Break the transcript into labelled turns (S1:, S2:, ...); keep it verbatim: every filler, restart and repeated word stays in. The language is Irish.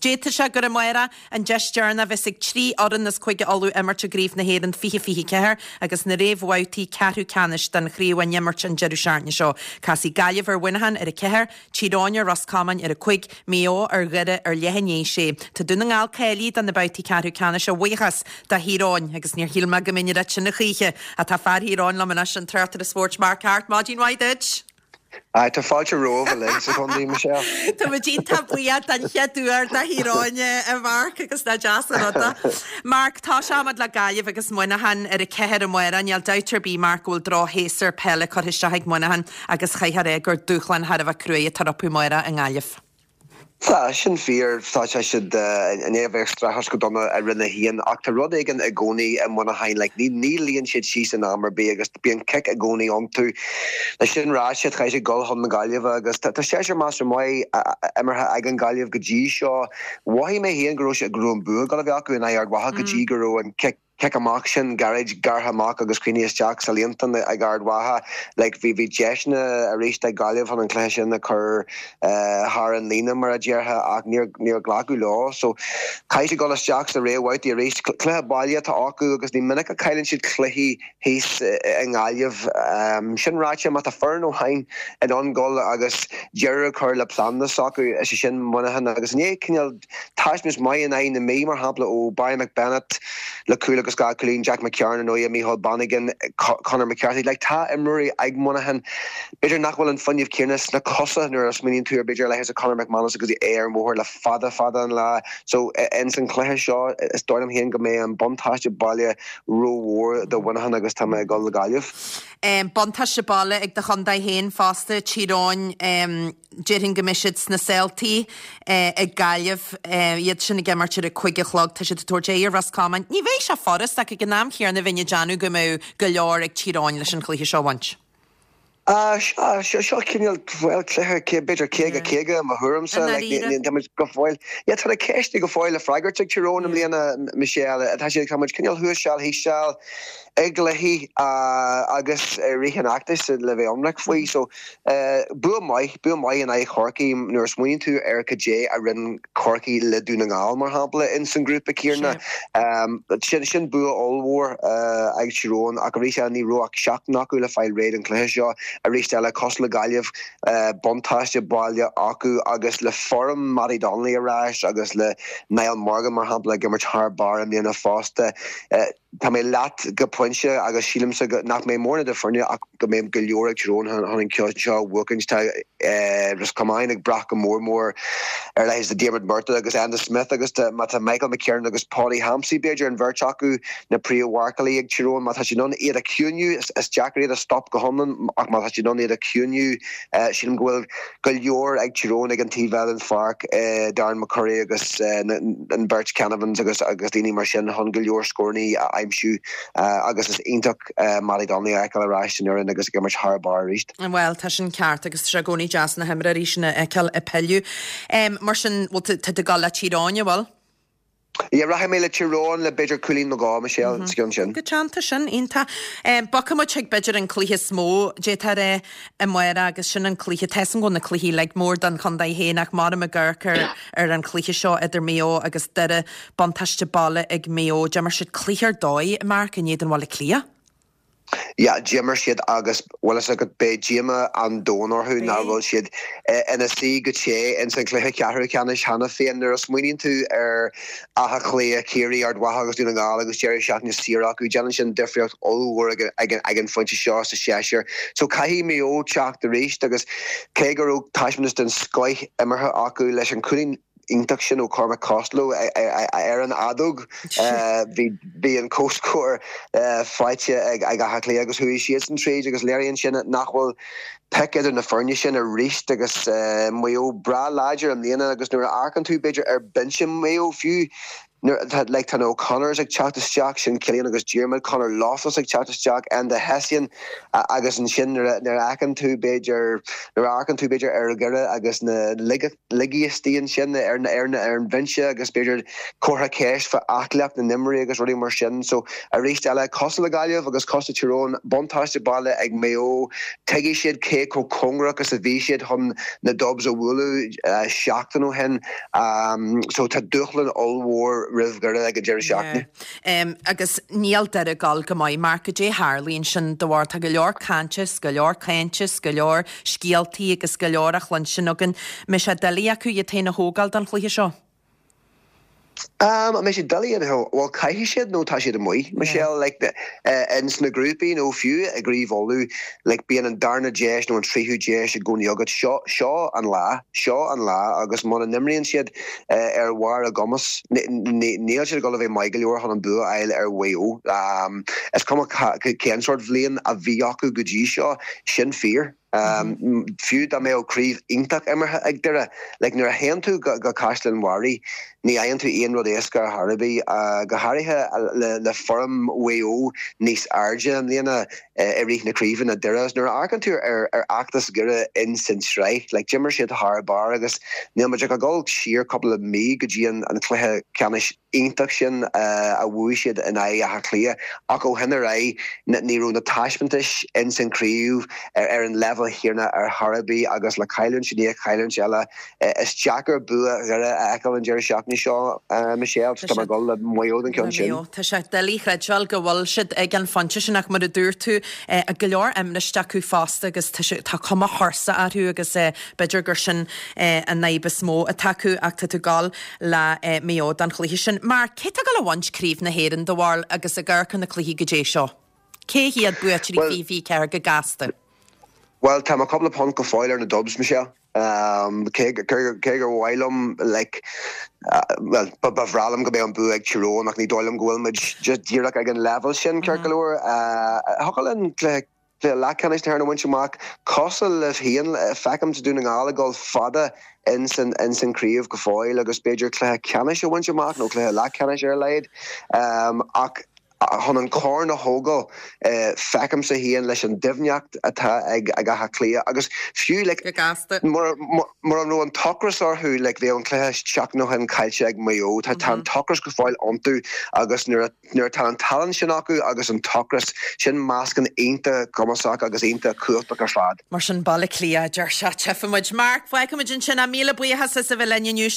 S1: D'fhéadfadh sé gur amárach an deis deireanach a bheas ag trí fhoireann as Cúige Uladh imirt i gCraobh na hÉireann fiche fiche ceathair agus na réamhbhabhtaí ceathrú ceannais den chraobh á n-imirt an deireadh seachtaine seo. Casfaidh Gaillimh ar Mhuineachán ar a ceathair, Tír Eoghain ar Ros Comáin ar a cúig, Maigh Eo ar Dhoire ar leath i ndiaidh a sé. Tá Dún na nGall cáilithe do na babhtaí ceathrú ceannais a bhuíochas do Thír Eoghain agus níor shíl mé go mbeinn ag rá sin a choíche ach tá fear Thír Eoghain liom anois, an tráchtaire spóirt Mark Harte. Maidin mhaith duit!
S2: Aye, tá fáilte romhaibh uilig sa chontae, Michelle.
S1: Tá muid iontach buíoch den chéad uair do Thír Eoghain a Mhark agus nach deas an rud é. Mark, tosóimid le Gaillimh agus Muineachán ar a ceathair amárach. Níl dabht ar bith, Mark, go bhfuil drochshéasúr peile curtha isteach ag Muineachán agus chaithfear é gur dúshlán thar a bheith cruaidh atá rompu amárach i nGaillimh.
S2: Tá sin fíor tá sé siad i ndiaidh a bheith ag streachailt go dona i Roinn a haon ach tá rud éigin i gcónaí i Muineachán like, ní ní luíonn siad síos in am ar bith agus bíonn cic i gcónaí iontu. Le sin ráite chaithfidh siad dul chun na Gaillimhe agus tá séasúr measartha maith imeartha ag an Gaillimh go dtí seo. Mhothaigh mé féin go raibh sé go raibh an bua ag dul a bheith acu in aghaidh Ard Mhacha go dtí go raibh an cic cic amach sin gairid gearrtha amach agus críochnaithe isteach sa líontán ag Ard Mhacha. Like, bhí bhí deiseanna arís ag Gaillimh chun an cluiche sin a chur uh, thar an líne mar a déarfá ach níor níor glacadh leo. So caithfidh siad dul isteach sa réamhbhabhtaí arís cluiche baile atá acu agus ní minic a chailleann siad cluichí thíos i nGaillimh. Um, sin ráite má tá foireann amháin in ann dul agus deireadh chur le plean s'acu is é sin Muineachán agus ní cineál taispeántas maith in aghaidh na Mí mar shampla ó Barry McBennett le cúl agus dhá chúilín Jack McCarron nó Micheál Bannigan Conor McCarthy like tá imreoirí ag Muineachán B'fhéidir nach bhfuil an fuinneamh céanna sna cosa nuair a smaoiníonn tú ar b'fhéidir le Conor McManus agus é ar an mbóthar le fada fada an lá so in san cluiche seo is dóigh liom féin go mbeidh an buntáiste baile rómhór do Mhuineachán agus tá mé ag dul le Gaillimh.
S1: Um, buntáiste baile ag do chontae féin fosta Tír Eoghain um, déarfainn go mbeidh siad sna saoltaí uh, ag Gaillimh uh, iad sin ag imirt ar a cúig a chlog tá siad ag tabhairt aghaidh ar Ros Comáin. Ní bheidh sé furast ach ag an am chéanna bheinn ag déanamh go mbeidh go leor ag Tír Eoghain leis an chluiche seo a bhaint.
S2: Uh, seo cineál bhuel cluiche b'fhéidir caoga caoga mo thuairimse go fóill. Ja tá na ceisteanna go fóill le freagairt ag Tír Eoghain i mbliana Michelle tá sé tá cineál thuas seal thíos seal ag cluichí agus rith an fheachtais le bheith ionraic faoi so bua maith bua maith in aghaidh Chorcaí nuair a smaoiníonn tú ar cad é a rinne Corcaigh le Dún na nGall mar shampla in san grúpa céanna sin sin bua ollmhór ag Tír Eoghain ach arís ní raibh ach seachtain acu le fáil réidh an cluiche seo arís eile cosúil le Gaillimh buntáiste baile acu agus le form Matty Donnelly ar ais agus le Niall Morgan mar shampla ag imirt thar barr i mbliana fosta. Tá mé leat go pointe agus sílimse nach mbeidh mórán idir foirne ach go mbeidh go leor ag Tír Eoghain chun an ceann seo a bhuachaint tá Ros Comáin ag brath go mór mór ar leis Diarmuid Murtagh agus Enda Smith agus má tá Michael McKiernan agus Paddy Hampsey b'fhéidir an bheirt acu na príomh-mharcálaí ag Tír Eoghain má tá siad in ann iad a chiúnú is deacair iad a stop go hiomlán ach má tá siad in ann iad a chiúnú sílim go bhfuil go leor ag Tír Eoghain ag an taobh eile den pháirc Darren McCurry agus an beirt Canavans agus agus daoine mar sin chun go leor scóranna a aimsiú agus is iontach Matty Donnelly a fheiceáil ar ais san fhoireann agus ag imirt thar barr arís.
S1: Well tá sin ceart agus sé i gcónaí deas na himreoirí sin a fheiceáil ag pilleadh. Mar sin bhfuil tú ag dul le Tír Eoghain bhfuil?
S2: Ja rachaidh mé le Tír Eoghain le b'fhéidir cúilín nó dhó Michelle sa gceann sin.
S1: Go teanta sin iontach. Bogfaidh muid chuig b'fhéidir an cluiche is mó d'fhéadfá a rá amárach agus sin an cluiche tá go na cluichí le mór don chontae féin ach mar ag amharc ar ar an chluiche seo idir Maigh Eo agus Doire buntáiste baile ag Maigh Eo, D'imir siad cluiche ar dóigh Mark in éadan Bhaile Átha Cliath.
S2: Ja, d'imir siad agus bhfuil go beidh díomá an domhain orthu nach bhfuil siad ina suí go té in san cluiche ceathrú ceannais cheana féin nuair a smaoiníonn tú ar Áth Cliath Ciarraí Ard Mhacha agus Dún na nGall agus deireadh seachtaine saor acu déanann sin difríocht ollmhór ag an phointe seo sa séasúr. So caithfidh Maigh Eo teacht arís agus cé go raibh taispeántas den scoth imeartha acu leis an cúilín iontach sin ó Cormac Costello ar an fheadóg bhí bhí an comhscór faighte ag ag Áth Cliath agus chuaigh siad san tríd agus léiríonn sin nach bhfuil pic idir na foirne sin arís agus Maigh Eo breá láidir i mbliana agus nuair a amharcann tú b'fhéidir ar binse Maigh Eo fiú Nuair like tá na O'Connors ag teacht isteach sin Cillian agus Diarmuid Connor Loftus ag teacht isteach Enda Hession agus ansin nuair a fheiceann tú b'fhéidir nuair a amharcann tú b'fhéidir ar Dhoire agus na ligeastaí ansin ar ar ar an bhinse agus b'fhéidir comhartha ceist fá aclaíocht na n-imreoirí agus rudaí mar sin so arís eile cosúil le Gaillimh agus cosúil le Tír Eoghain buntáiste baile ag Maigh Eo tuigfidh siad cé chomh cóngarach is a bhí siad chun na Dubs a bhualadh seachtain ó shin so tá dúshlán ollmhór roimh Dhoire ag an deireadh seachtaine.
S1: Um, agus níl Doire ag gabháil go maith mar cad é tharlaíonn sin de bharr tá go leor cainte go leor cainte go leor scéaltaí agus go leor a chluinstin againn. Mbeidh sé doiligh acu iad féin a thógáil don chluiche seo.
S2: Um, mbeidh sé doiligh an well caithfidh siad nó tá siad amuigh Michelle like the uh, in sna grúpaí nó fiú i gCraobh Uladh like bíonn an darna deis nó an tríú deis i gcónaí agat seo seo an lá seo an lá agus muna n-imríonn siad uh, ar bharr a gcumas níl siad go bheith maith go leor chun an bua a fháil ar Mhaigh Eo. Um, is cuma cén sórt bhliain a bhí acu go dtí seo sin fíor. Um, fiú dá mbeadh craobh iontach imeartha ag Doire, like nuair a théann tú go, go Caisleán Bharraigh, ní fhaigheann tú aon rud éasca ar chor ar bith uh, go háirithe le, le form Mhaigh Eo níos airde i mbliana uh, i rith na craoibhe ná Doire. Nuair a amharcann tú ar, ar fheachtas Dhoire in san tsraith, like d'imir siad thar barr agus níl muid ach ag dul siar cúpla mí go dtí an, an cluiche ceannais iontach sin uh, a bhuaigh siad in aghaidh Átha Cliath ach ó shin ar aghaidh ní raibh na taispeántais in san craobh ar, ar an level céanna ar chor ar bith agus le cailliúint i ndiaidh cailliúint eile is deacair bua Dhoire a fheiceáil an deireadh seachtaine seo uh, Michelle tá mé ag dul le Maigh Eo an ceann sin.
S1: Tá sé doiligh a chreidbheáil go bhfuil siad ag an phointe sin ach mar a dúirt tú go leor imniste acu fosta agus tá cuma thuirseach orthu agus b'fhéidir gur sin an fhadhb is mó atá acu ach tá tú ag dul le Maigh Eo don chluiche sin. Mar cé atá ag dul a bhaint Craobh na hÉireann do bharúil agus ag amharc ar na cluichí go dtí seo. Cé hiad buaiteoirí fiche fiche ceathair go gasta?
S2: Well tá cúpla punt go fóill ar na Dubs Michelle. Um, cé gur mhaith liom like, uh, well, ba bhreá liom go mbeadh an bua ag Tír Eoghain ach ní dóigh liom go bhfuil muid just díreach ag an level sin ceart go leor. Thiocfadh linn le le leathcheannais na hÉireann a bhaint amach cosúil le féin feicim Dún na nGall ag dul fada in san in san craobh go fóill agus b'fhéidir cluiche ceannais a bhaint amach nó cluiche leathcheannais ar a laghad um, ach chun an corn a thógáil uh, feicimse féin leis an doimhneacht atá ag ag Áth Cliath agus fiú like, mar an raibh an t-ocras orthu like, bhí an cluiche seachtain ó shin caillte ag Maigh Eo tá tá an t-ocras go fóill iontu agus nuair nuair atá an tallann sin acu agus an t-ocras sin meascán iontach cumasach agus iontach cumhachtach ar fad.
S1: Mar sin Baile Átha Cliath deir sé tchífimid Mark fágfaimid ansin míle buíochas as a bheith linn inniu.